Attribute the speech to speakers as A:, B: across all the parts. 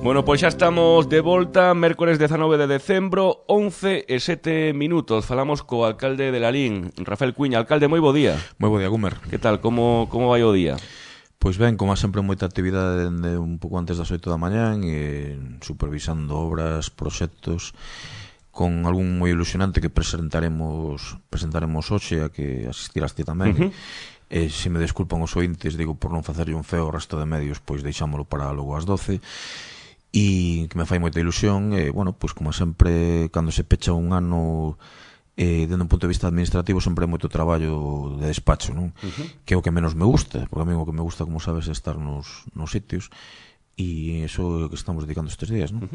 A: Bueno, pois xa estamos de volta, mércores 19 de decembro, 11:07. Falamos co alcalde de Lalín, Rafael Cuiña. Alcalde, moi bo día.
B: Moi bo día, Gumer.
A: Que tal, como vai o día?
B: Pois ben, como sempre, moita actividade dende un pouco antes das 8 da mañán e supervisando obras, proxectos, con algún moi ilusionante que presentaremos hoxe, a que asistiraste tamén. Se me desculpan os ointes, digo, por non facerlle un feo ao resto de medios, pois deixámolo para logo ás 12. E que me fai moita ilusión, bueno, pois como sempre, cando se pecha un ano, dende un punto de vista administrativo, sempre hai moito traballo de despacho, non? Que é o que menos me gusta, porque a mí o que me gusta, como sabes, é estar nos sitios, e iso é o que estamos dedicando estes días, non?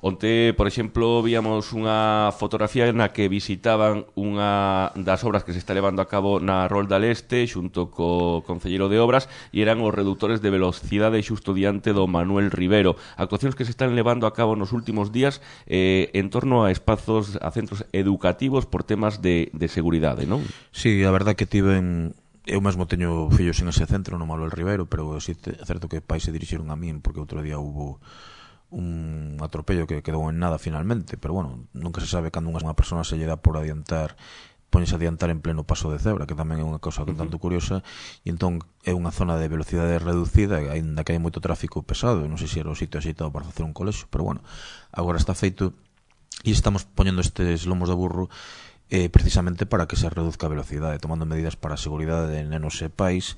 A: Onte, por exemplo, víamos unha fotografía na que visitaban unha das obras que se está levando a cabo na Rolda Leste xunto co concelleiro de obras, e eran os reductores de velocidade xusto diante do Manuel Rivero. Actuacións que se están levando a cabo nos últimos días en torno a espazos, a centros educativos por temas de seguridade, non?
B: Sí, a verdad que tiven... Eu mesmo teño fillos en ese centro, no Manuel Rivero, pero sí é certo que pais se dirixiron a min porque outro día hubo un atropello que quedou en nada finalmente, pero bueno, nunca se sabe cando unha persona se lle dá por adiantar, poñese a adiantar en pleno paso de cebra, que tamén é unha cousa tanto curiosa, e entón é unha zona de velocidade reducida, aínda que hai moito tráfico pesado, non sei se era o sitio axeitado para facer un colexo, pero bueno, agora está feito e estamos poñendo estes lomos de burro precisamente para que se reduzca a velocidade, tomando medidas para a seguridade de nenos e pais,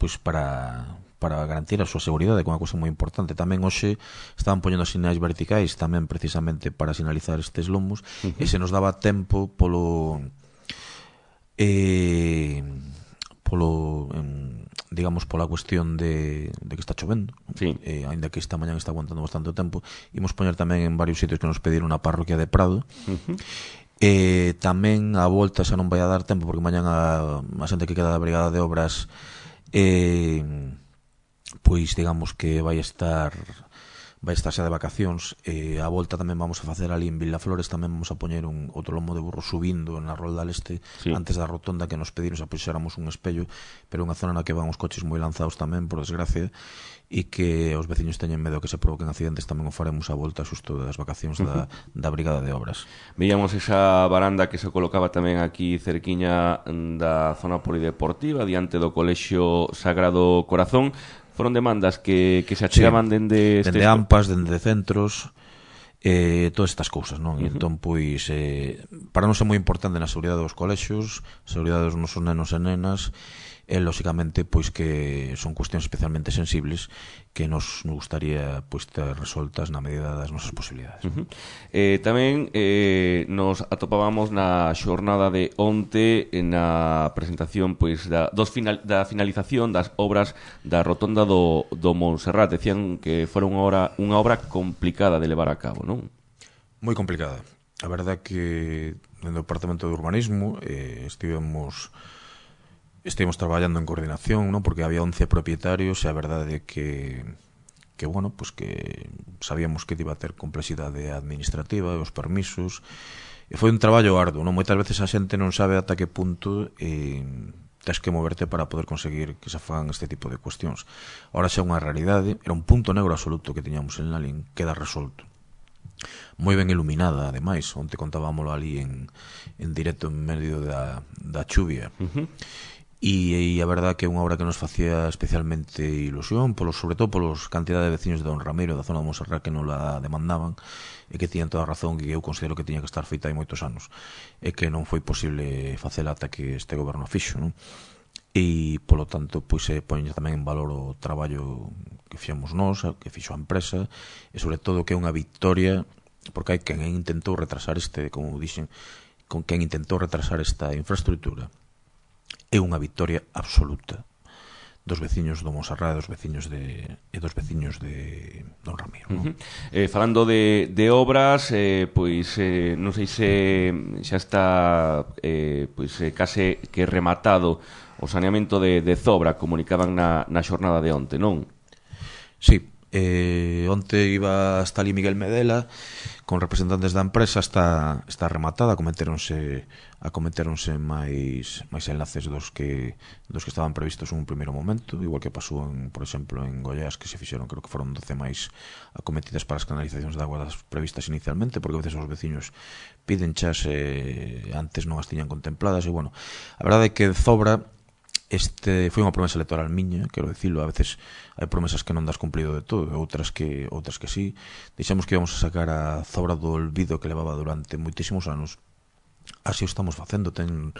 B: pois para garantir a súa seguridade, que é unha cousa moi importante. Tamén hoxe estaban poñendo sinais verticais tamén precisamente para sinalizar estes lomos, e se nos daba tempo digamos, pola cuestión de que está chovendo,
A: sí.
B: Ainda que esta mañán está aguantando bastante tempo, imos poñer tamén en varios sitios que nos pediron a parroquia de Prado. Tamén a volta xa non vai a dar tempo, porque mañán a xente que queda da brigada de obras pois digamos que vai estar xa de vacacións. A volta tamén vamos a facer ali en Vilaflores, tamén vamos a poñer outro lomo de burro subindo na Rolda Leste, sí, antes da rotonda, que nos pediron xa puxéramos un espello, pero unha zona na que van os coches moi lanzados tamén, por desgracia, e que os veciños teñen medo que se provoquen accidentes. Tamén o faremos a volta xusto das vacacións da brigada de obras.
A: Veíamos esa baranda que se colocaba tamén aquí cerquiña da zona polideportiva, diante do Colexio Sagrado Corazón. Foron demandas que se achegaban dende
B: AMPAs, dende centros, todas estas cousas, non? E entón, pois, para nós é moi importante na seguridade dos colexios, seguridade dos nosos nenos e nenas, e, lóxicamente, pois que son cuestións especialmente sensibles que nos gustaría, pois, ter resoltas na medida das nosas posibilidades.
A: Tamén nos atopábamos na xornada de onte na presentación, pois, da finalización das obras da rotonda do Montserrat. Decían que fora unha obra complicada de levar a cabo, non?
B: Moi complicada. A verdade que dentro do Departamento de Urbanismo estivemos traballando en coordinación, non? Porque había 11 propietarios e a verdade que bueno, pues que sabíamos que iba a ter complexidade administrativa e os permisos, e foi un traballo arduo, non? Moitas veces a xente non sabe ata que punto tens que moverte para poder conseguir que se fagan este tipo de cuestións. Ahora xa é unha realidade, era un punto negro absoluto que tiñamos en Lalín, queda resolto. Moi ben iluminada, ademais, onte contábamolo ali en directo en medio da chuvia. E a verdad que é unha obra que nos facía especialmente ilusión, sobre todo polos cantidad de veciños de Don Ramiro, da zona de Montserrat, que non la demandaban, e que tiñan toda a razón, que eu considero que tiña que estar feita hai moitos anos, e que non foi posible facela ata que este goberno fixo, non? E, polo tanto, pois se poñe tamén en valor o traballo que fixemos nós, que fixo a empresa, e sobre todo que é unha victoria, porque hai quen intentou retrasar como dixen, con quen intentou retrasar esta infraestructura. É unha victoria absoluta dos veciños do Montserrat e dos veciños de Don Ramiro, non?
A: Falando de obras, pois non sei se xa está case que rematado o saneamento de Zobra, comunicaban na xornada de onte, non?
B: Sí, onte iba hasta ali Miguel Medela con representantes da empresa está rematada, acometéronse máis enlaces dos que estaban previstos en un primeiro momento, igual que pasou por exemplo en Goiás, que se fixeron, creo que foron 12 máis acometidas para as canalizacións de agua das previstas inicialmente, porque a veces os veciños piden chas antes non as tiñan contempladas. E bueno, a verdade é que Zobra foi unha promesa electoral miña, quero dicilo. A veces hai promesas que non das cumplido de todo, outras que sí. Dixemos que íbamos a sacar a Zobra do olvido que levaba durante moitísimos anos. Así o estamos facendo. Ten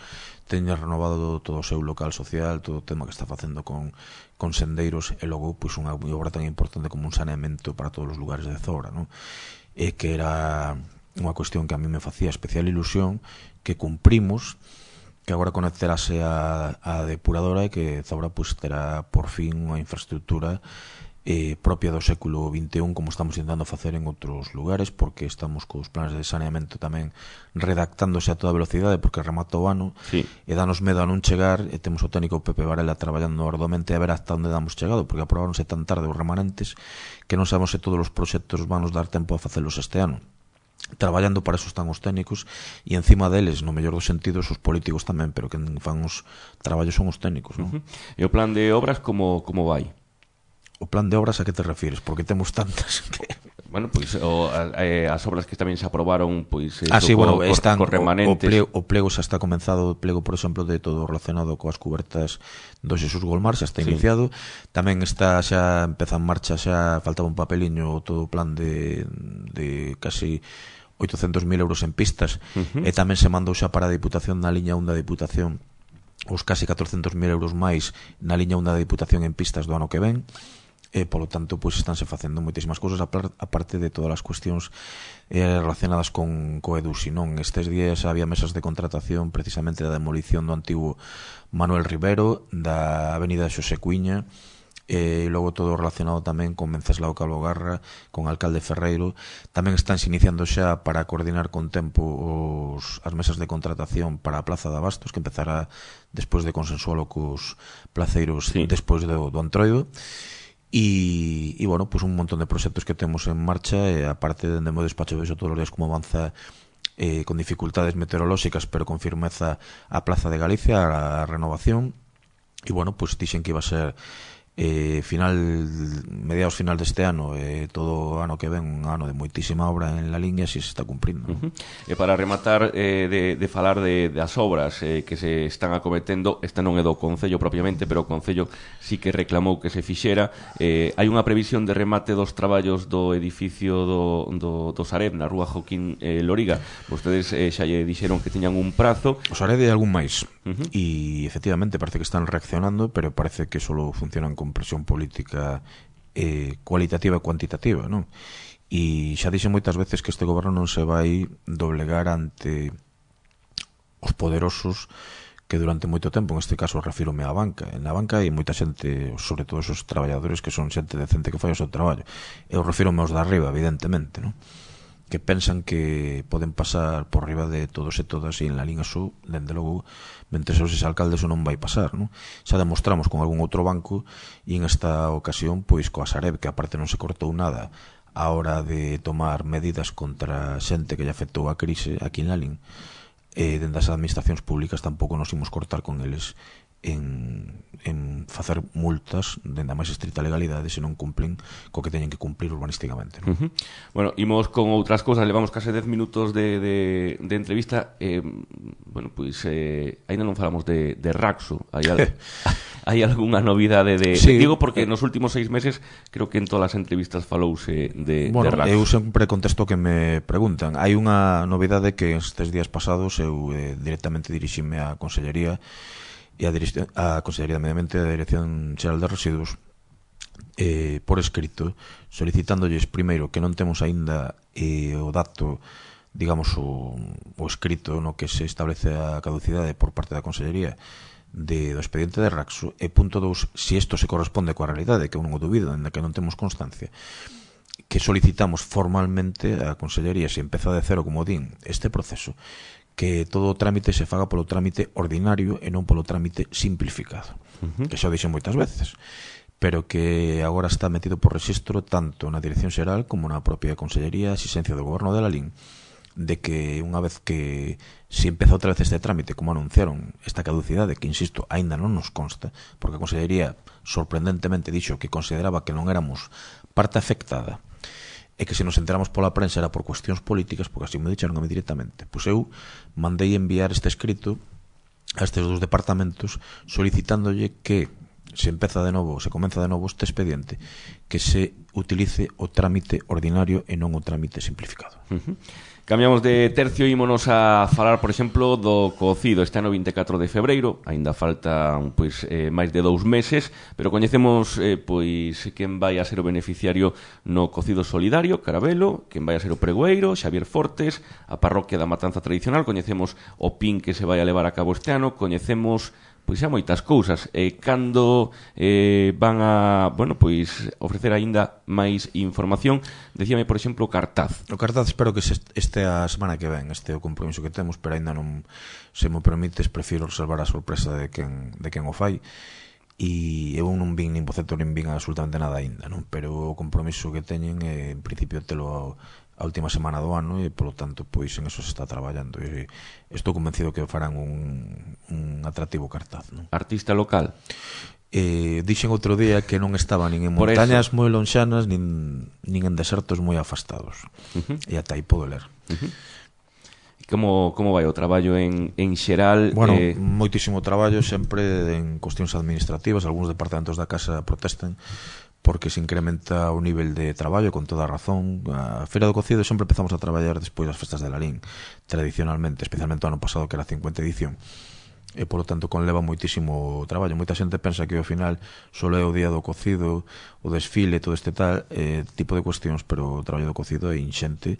B: renovado todo o seu local social, todo o tema que está facendo con sendeiros, e logo pois unha obra tan importante como un saneamento para todos os lugares de Zobra, non? E que era unha cuestión que a mí me facía especial ilusión, que cumprimos, que agora conectarase a depuradora, e que Zobra pues, terá por fin unha infraestructura propia do século XXI, como estamos intentando facer en outros lugares, porque estamos cos planes de saneamento tamén redactándose a toda velocidade, porque remata o ano,
A: sí.
B: E danos medo a non chegar, e temos o técnico Pepe Varela traballando arduamente a ver hasta onde damos chegado, porque aprobaronse tan tarde os remanentes que non sabemos se todos os proxectos van nos dar tempo a facelos este ano. Traballando para eso están os técnicos, e encima deles, no mellor dos sentidos, os políticos tamén, pero que fan os traballos son os técnicos, non?
A: E o plan de obras como vai?
B: O plan de obras a que te refires? Porque temos tantas que...
A: Bueno, pois as obras que tamén se aprobaron, pois
B: sí, bueno, están
A: cos remanentes.
B: O plego xa está comenzado, o plego, por exemplo, de todo relacionado coas cubertas do Xesús Golmar, xa está iniciado. Tamén está xa empeza en marcha, xa faltaba un papeliño todo o plan de casi 800.000 euros en pistas, e tamén se mandou xa para a Diputación, na liña 1 da Diputación, os casi 400.000 euros máis na liña 1 da Diputación en pistas do ano que ven. E, polo tanto, pois estánse facendo moitísimas cousas, aparte de todas as cuestións relacionadas con Edusi, non? Estes días había mesas de contratación precisamente da demolición do antigo Manuel Rivero, da avenida Xosé Cuiña, e logo todo relacionado tamén con Venceslao Calvo Garra, con Alcalde Ferreiro. Tamén estánse iniciando xa para coordinar con tempo as mesas de contratación para a Plaza de Abastos, que empezará despois de consensualo cos placeiros, sí, despois do Antroido. E bueno, pues un montón de proxectos que temos en marcha, e aparte de mo despacho vexo todos os días como avanza con dificultades meteorolóxicas pero con firmeza a Plaza de Galicia, a renovación. E bueno, pues dixen que iba a ser mediados final deste ano, todo o ano que ven un ano de moitísima obra en la línea, si se está cumprindo.
A: E para rematar de falar das obras que se están acometendo, esta non é do Concello propiamente, pero o Concello sí que reclamou que se fixera. Hai unha previsión de remate dos traballos do edificio do Sareb na rúa Joaquín Loriga. Vostedes xa lle dixeron que tiñan un prazo.
B: O Sareb e algún máis, e efectivamente parece que están reaccionando, pero parece que solo funcionan con presión política cualitativa e cuantitativa, non? E xa dixen moitas veces que este goberno non se vai doblegar ante os poderosos que durante moito tempo, en este caso refírome á banca. Na banca hai moita xente, sobre todo esos traballadores que son xente decente que fai o seu traballo. Eu refírome aos de arriba, evidentemente, non? Que pensan que poden pasar por riba de todos e todas, e en la liña sur, dende logo, mentre os alcaldes o non vai pasar, non? Xa demostramos con algún outro banco, e en esta ocasión, pois coa Sareb, que aparte non se cortou nada a hora de tomar medidas contra xente que lle afectou a crise aquí en Lalín, dende as administracións públicas tampouco nos imos cortar con eles en facer multas dende a máis estrita legalidade se non cumplen co que teñen que cumplir urbanísticamente, non?
A: Bueno, imos con outras cousas. Levamos case 10 minutos de entrevista. Bueno, pois ainda non falamos de Raxo. Hai algunha novidade
B: sí,
A: digo porque nos últimos 6 meses creo que en todas as entrevistas falouse de Raxo.
B: Eu sempre contesto que me preguntan. Hai unha novidade que estes días pasados eu directamente dirixime á Consellería e a Consellería de Medio Ambiente e a Dirección Xeral de Residuos por escrito, solicitándolles primeiro que non temos aínda o dato, digamos, o escrito no que se establece a caducidade por parte da Consellería do expediente de Raxo, e punto 2, se isto se corresponde coa realidade, que eu non o dubido, en que non temos constancia, que solicitamos formalmente a Consellería, se empeza de cero, como din, este proceso, que todo o trámite se faga polo trámite ordinario e non polo trámite simplificado, que xa o dixen moitas veces. pero que agora está metido por rexistro tanto na Dirección Xeral como na propia Consellería de Asistencia do Goberno de Lalín, de que unha vez que se empeza outra vez este trámite, como anunciaron, esta caducidade, que insisto, aínda non nos consta, porque a Consellería sorprendentemente dixo que consideraba que non éramos parte afectada e que se nos enteramos pola prensa era por cuestións políticas, porque así me dixeron a mí directamente. Pois eu mandei enviar este escrito a estes dous departamentos solicitándolle que se comeza de novo este expediente, que se utilice o trámite ordinario e non o trámite simplificado.
A: Cambiamos de tercio e ímonos a falar, por exemplo, do cocido. Este ano 24 de febreiro, aínda falta máis de 2 meses, pero coñecemos quen vai a ser o beneficiario no cocido solidario, Carabelo, quen vai a ser o pregoeiro, Xavier Fortes, a parroquia da Matanza Tradicional, coñecemos o PIN que se vai a levar a cabo este ano, coñecemos xa moitas cousas. Cando van a, ofrecer aínda máis información, decíame, por exemplo, o cartaz.
B: O cartaz espero que este a semana que ven, este é o compromiso que temos, pero aínda non, se me permites, prefiro reservar a sorpresa de quen o fai, e eu non vin nin boceto nin vin absolutamente nada aínda, non? Pero o compromiso que teñen é, en principio, telo a última semana do ano, e polo tanto pois en eso se está traballando, e estou convencido que farán un atractivo cartaz, non?
A: Artista local?
B: Dixen outro día que non estaba nin en montañas moi lonxanas nin en desertos moi afastados, e ata aí podo ler.
A: Como vai o traballo en xeral?
B: Bueno, moitísimo traballo sempre en cuestións administrativas. Algúns departamentos da casa protestan porque se incrementa o nivel de traballo, con toda a razón. A Feira do Cocido sempre empezamos a traballar despois das festas de Lalín, tradicionalmente, especialmente o ano pasado, que era a 50ª edición, e polo tanto conleva moitísimo traballo. Moita xente pensa que ao final só é o día do cocido, o desfile, todo este tal tipo de cuestións, pero o traballo do cocido é inxente,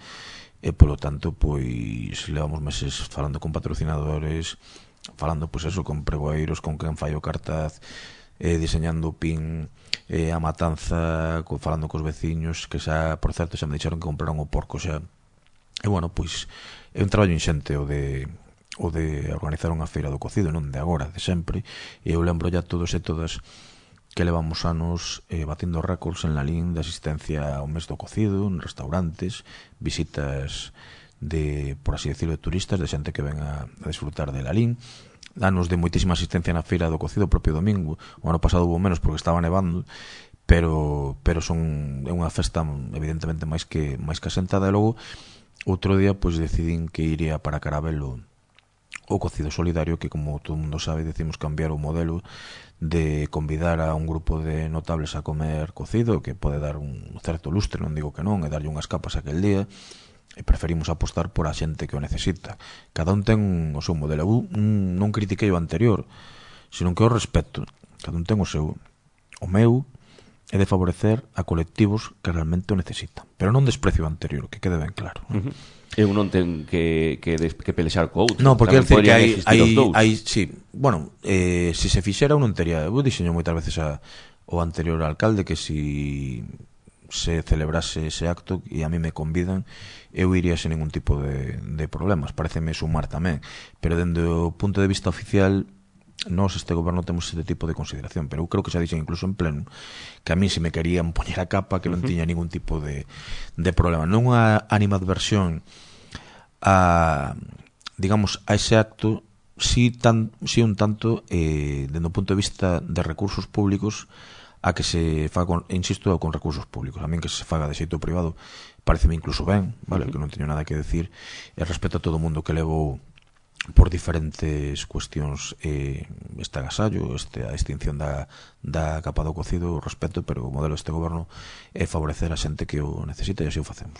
B: e polo tanto pois levamos meses falando con patrocinadores, falando pois eso, con pregoeiros, con quen fai o cartaz, diseñando o PIN, a matanza, falando cos veciños, que xa, por certo, xa me dixeron que compraron o porco xa. E bueno, pois é un traballo inxente o de organizar unha feira do cocido, non de agora, de sempre. E eu lembro ya todos e todas que levamos anos batindo récords en Lalín de asistencia ao mes do cocido, en restaurantes, visitas de, por así decirlo, de turistas, de xente que ven a disfrutar de Lalín, anos de moitísima asistencia na feira do cocido o propio domingo. O ano pasado hubo menos porque estaba nevando, pero é unha festa evidentemente máis que asentada. E logo outro día pois decidín que iría para Carabelo o cocido solidario, que como todo mundo sabe decimos cambiar o modelo de convidar a un grupo de notables a comer cocido, que pode dar un certo lustre, non digo que non, e darlle unhas capas aquel día, e preferimos apostar por a xente que o necesita. Cada un ten o seu modelo. Eu non critiquei o anterior, senón que o respeto. Cada un ten o seu. O meu é de favorecer a colectivos que realmente o necesitan, pero non desprecio o anterior, que quede ben claro.
A: Eu non ten que pelexar co outro.
B: Non, porque decir que hai sí, bueno, se se fixera un non tería. Eu dixeño moitas veces ao anterior alcalde que si se celebrase ese acto e a mí me convidan, eu iría sen ningún tipo de problemas. Pareceme sumar tamén, pero dende o punto de vista oficial nós, este goberno, temos este tipo de consideración, pero eu creo que xa dixen incluso en pleno que a mí se me querían poñer a capa, que non tiña ningún tipo de problema. Non a animadversión a, digamos, a ese acto, si un tanto dende o punto de vista de recursos públicos, a que se faga, insisto, con recursos públicos. A min que se faga de xeito privado pareceme incluso ben, vale, que non teño nada que decir, e respeto a todo o mundo que levou por diferentes cuestións este agasallo, a extinción da capa do cocido, o respeto, pero o modelo deste goberno é favorecer a xente que o necesita, e así o facemos.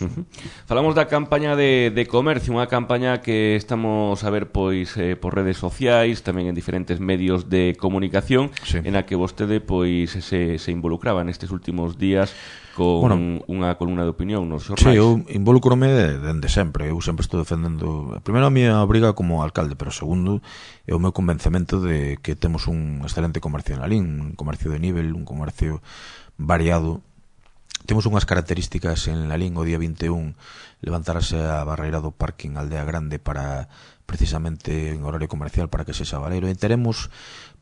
A: Falamos da campaña de comercio, unha campaña que estamos a ver pois por redes sociais, tamén en diferentes medios de comunicación, sí, en a que vostede pois se involucraba nestes últimos días con unha columna de opinión nos xornais.
B: Sí, eu involucrome dende sempre. Eu sempre estou defendendo, primeiro, a miña obriga como alcalde, pero segundo, é o meu convencemento de que temos un excelente comercio en Lalín, un comercio de nivel, un comercio variado. Temos tiñamos unhas características en Lalín o día 21 levantarase a barreira do parking Aldea Grande para precisamente en horario comercial para que sexa valero, e teremos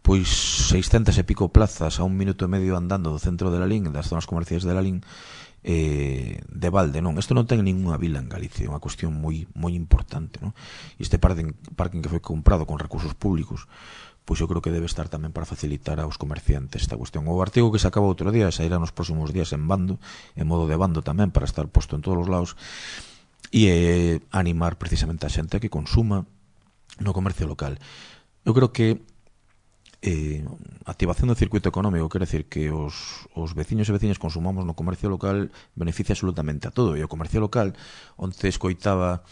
B: pois 600 e pico plazas a 1 minuto e medio andando do centro de Lalín, das zonas comerciais de Lalín, de balde, non? Isto non ten ninguna vila en Galicia, é unha cuestión moi importante, non? Este parking que foi comprado con recursos públicos, pois eu creo que debe estar tamén para facilitar aos comerciantes esta cuestión. O artigo que se acaba outro día sairá nos próximos días en bando, en modo de bando tamén, para estar posto en todos os lados, e animar precisamente a xente a que consuma no comercio local. Eu creo que activación do circuito económico quere decir que os veciños e veciñas consumamos no comercio local beneficia absolutamente a todo, e o comercio local, onde escoitaba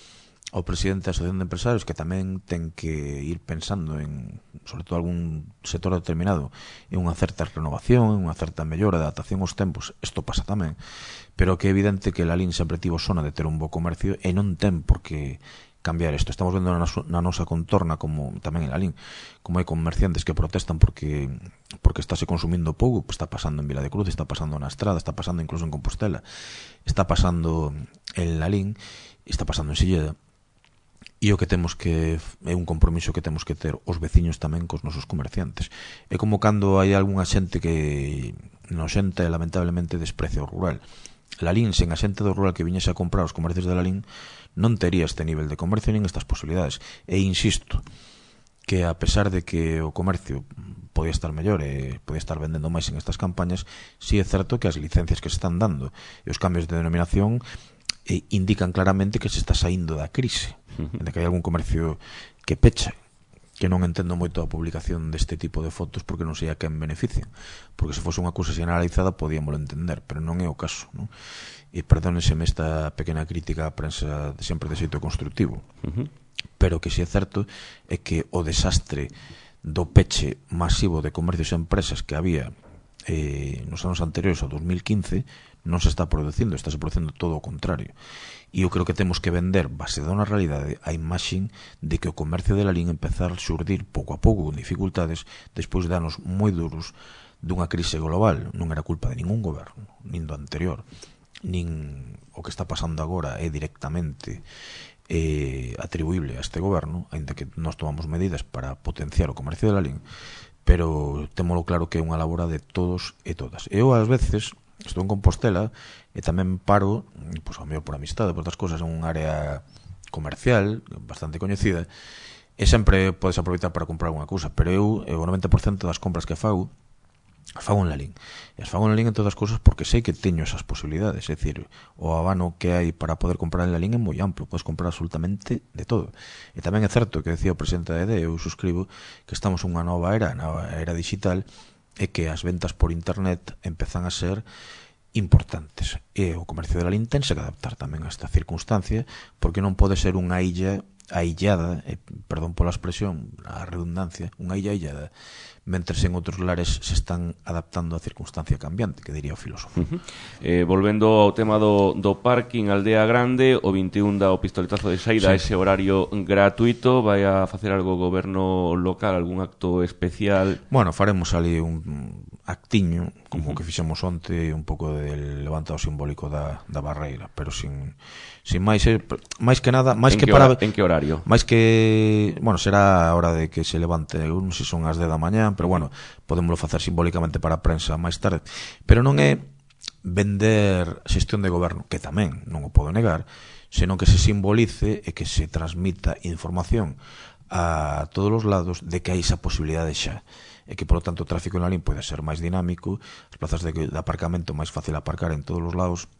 B: ao presidente da Asociación de Empresarios que tamén ten que ir pensando en, sobre todo algún sector determinado, en unha certa renovación, en unha certa mellora, adaptación aos tempos. Isto pasa tamén, pero que é evidente que Lalín sempre tivo zona de ter un bo comercio e non ten por que cambiar isto. Estamos vendo na nosa contorna, como tamén en Lalín, como hai comerciantes que protestan porque estáse consumindo pouco. Está pasando en Vila de Cruz, está pasando na Estrada, está pasando incluso en Compostela, está pasando en Lalín, está pasando en Silleda. E o que temos que é un compromiso que temos que ter os veciños tamén cos nosos comerciantes. É como cando hai algunha xente que noxenta e lamentablemente desprecia o rural. Lalín, sen a xente do rural que viñese a comprar os comercios de Lalín, non tería este nivel de comercio nin estas posibilidades. E insisto que a pesar de que o comercio podía estar mellor e podía estar vendendo máis en estas campañas, si é certo que as licencias que se están dando e os cambios de denominación indican claramente que se está saindo da crise, de que hai algún comercio que pecha, que non entendo moito a publicación deste tipo de fotos porque non sei a quen benefician, porque se fose unha cousa generalizada podíamoslo entender, pero non é o caso, non? E perdónenseme esta pequena crítica á prensa sempre de xeito constructivo, pero que si é certo é que o desastre do peche masivo de comercios e empresas que había nos anos anteriores ao 2015 non se está producindo, está se producindo todo o contrario. E eu creo que temos que vender, baseado na realidade, a imaxen de que o comercio de Lalín empezar a xurdir pouco a pouco con dificultades despois de anos moi duros dunha crise global. Non era culpa de ningún goberno, nin do anterior, nin o que está pasando agora é directamente atribuible a este goberno, aínda que nós tomamos medidas para potenciar o comercio de Lalín, pero témolo claro que é unha labora de todos e todas. Eu ás veces estou en Compostela e tamén paro, pois ao mellor por amistade, por outras cousas, en unha área comercial bastante coñecida, e sempre podes aproveitar para comprar alguna cousa, pero eu o 90% das compras que fago en Lalín. E as fago en Lalín en todas as cousas porque sei que teño esas posibilidades, é dicir, o abano que hai para poder comprar en Lalín é moi amplo, podes comprar absolutamente de todo. E tamén é certo que decía o presidente da EDE, eu suscribo, que estamos unha nova era, na era digital, é que as ventas por internet empezan a ser importantes. E o comercio de Lalín tense que adaptar tamén a esta circunstancia, porque non pode ser unha illa aillada, perdón pola expresión, a redundancia, unha illa aillada, mentres en outros lares se están adaptando a circunstancia cambiante, que diría o filósofo.
A: Volvendo ao tema do parking Aldea Grande, o 21 dá o pistoletazo de saída a ese horario gratuito. Vai a facer algo o goberno local, algún acto especial?
B: Bueno, faremos ali un actiño, como que fixemos onte, un pouco del levantado simbólico da barreira, pero sin máis, máis que nada, máis que para...
A: En que horario?
B: Máis que, bueno, será a hora de que se levante, non sei se son as 10 da mañá, pero bueno, podémoslo facer simbólicamente para a prensa máis tarde, pero non é vender xestión de goberno, que tamén non o podo negar, senón que se simbolice e que se transmita información a todos os lados de que hai esa posibilidade xa, e que, por lo tanto, o tráfico en Lalín pode ser máis dinámico, as plazas de aparcamento máis fácil aparcar en todos os lados,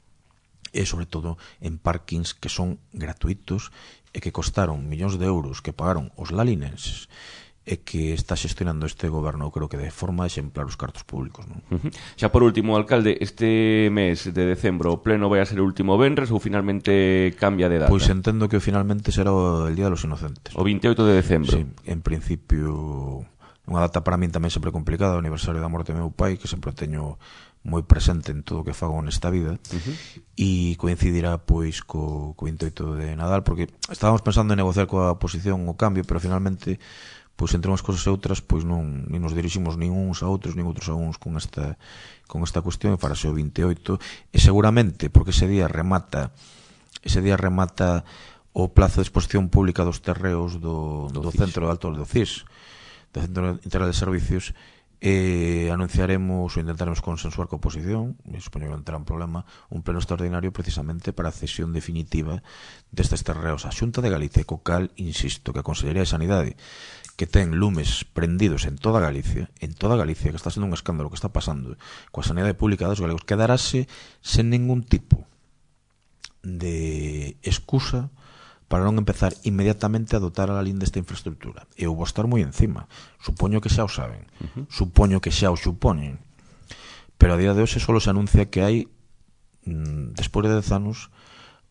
B: e, sobre todo, en parkings que son gratuitos e que costaron millóns de euros que pagaron os lalinenses, e que está xestionando este goberno, creo que de forma exemplar os cartos públicos, non?
A: Xa por último, alcalde, este mes de decembro o pleno vai a ser o último venres ou finalmente cambia de data?
B: Pois entendo que finalmente será o Día de los Inocentes.
A: O 28 de decembro.
B: Sí, en principio, unha data para min tamén sempre complicada, o aniversario da morte do meu pai, que sempre teño moi presente en todo o que fago nesta vida, e coincidirá pois co 28 de Nadal, porque estábamos pensando en negociar coa oposición o cambio, pero finalmente pois entre unhas cosas e outras pois non nin nos diriximos nin uns a outros nin outros a uns con esta cuestión, e farase o 28, e seguramente porque ese día remata o plazo de exposición pública dos terreos do Centro de Alto do CIS, do Centro Integral de Servicios, anunciaremos ou intentaremos consensuar coa oposición, supoño que non terá un problema, un pleno extraordinario precisamente para a cesión definitiva destes terreos á Xunta de Galicia, co cal, insisto, que a Consellería de Sanidade, que ten lumes prendidos en toda Galicia, que está sendo un escándalo que está pasando coa sanidade pública dos galegos, quedarase sen ningún tipo de excusa para non empezar inmediatamente a dotar a Lalín desta infraestructura. Eu vou estar moi encima. Supoño que xa o saben. Supoño que xa o supoñen. Pero a día de hoxe só se anuncia que hai, despois de 10 anos,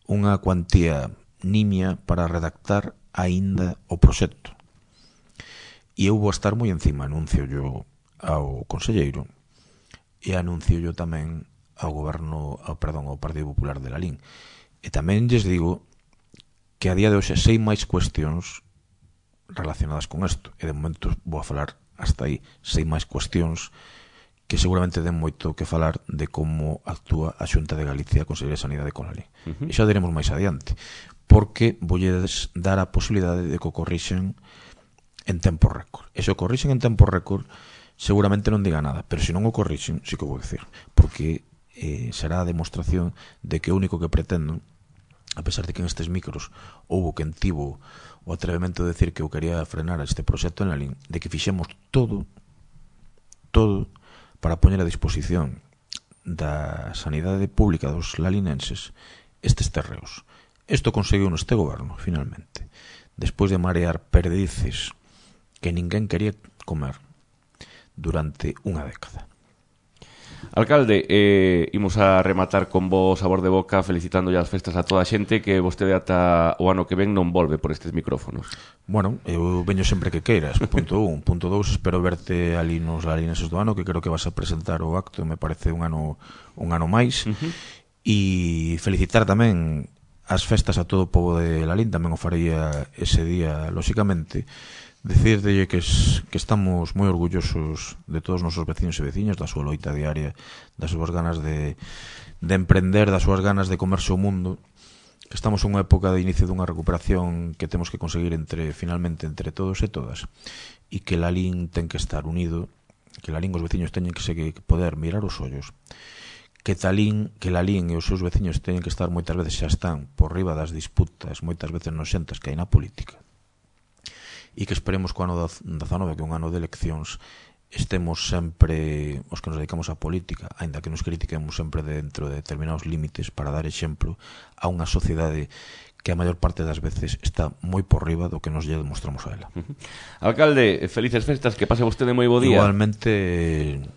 B: unha cuantía nimia para redactar aínda o proxecto. E eu vou estar moi encima. Anuncio yo ao conselleiro e anuncio yo tamén ao Partido Popular de Lalín. E tamén lles digo que a día de hoxe sei máis cuestións relacionadas con isto, e de momento vou a falar hasta aí. Sei máis cuestións que seguramente den moito que falar de como actúa a Xunta de Galicia, a Consellería de Sanidade con Lalín. E xa diremos máis adiante, porque voulles dar a posibilidade de que o corrixen en tempo récord. E se o corrixen en tempo récord, seguramente non diga nada, pero se non o corrixen, sí que o vou dicir, porque será a demostración de que o único que pretendo, a pesar de que en estes micros houbo quen tivo o atrevemento de decir que eu quería frenar este proxecto en Lalín, de que fixemos todo para poñer a disposición da sanidade pública dos lalinenses estes terreos. Isto conseguiu neste goberno, finalmente, despois de marear perdices que ninguén quería comer durante unha década.
A: Alcalde, imos a rematar con bo sabor de boca felicitando as festas a toda a xente, que vostede ata o ano que ven non volve por estes micrófonos.
B: Bueno, eu veño sempre que queiras, punto 1. Punto 2, espero verte ali nos Lalinenses do ano, que creo que vas a presentar o acto, me parece un ano máis. E felicitar tamén as festas a todo o pobo de Lalín, tamén o faría ese día, lóxicamente. Decirle que estamos moi orgullosos de todos os nosos veciños e veciñas, da súa loita diaria, das súas ganas de emprender, das súas ganas de comerse o mundo, que estamos en unha época de inicio dunha recuperación que temos que conseguir finalmente entre todos e todas, e que Lalín ten que estar unido, que Lalín os veciños teñen que poder mirar os ollos, que Lalín e os seus veciños teñen que estar, moitas veces xa están por riba das disputas, moitas veces noxentas que hai na política, e que esperemos que o ano 19, que é un ano de eleccións, estemos sempre os que nos dedicamos á política, aínda que nos critiquemos sempre dentro de determinados límites, para dar exemplo a unha sociedade que a maior parte das veces está moi por riba do que nos lle demostramos a ela.
A: Alcalde, felices festas, que pase vostede moi bo día.
B: Igualmente.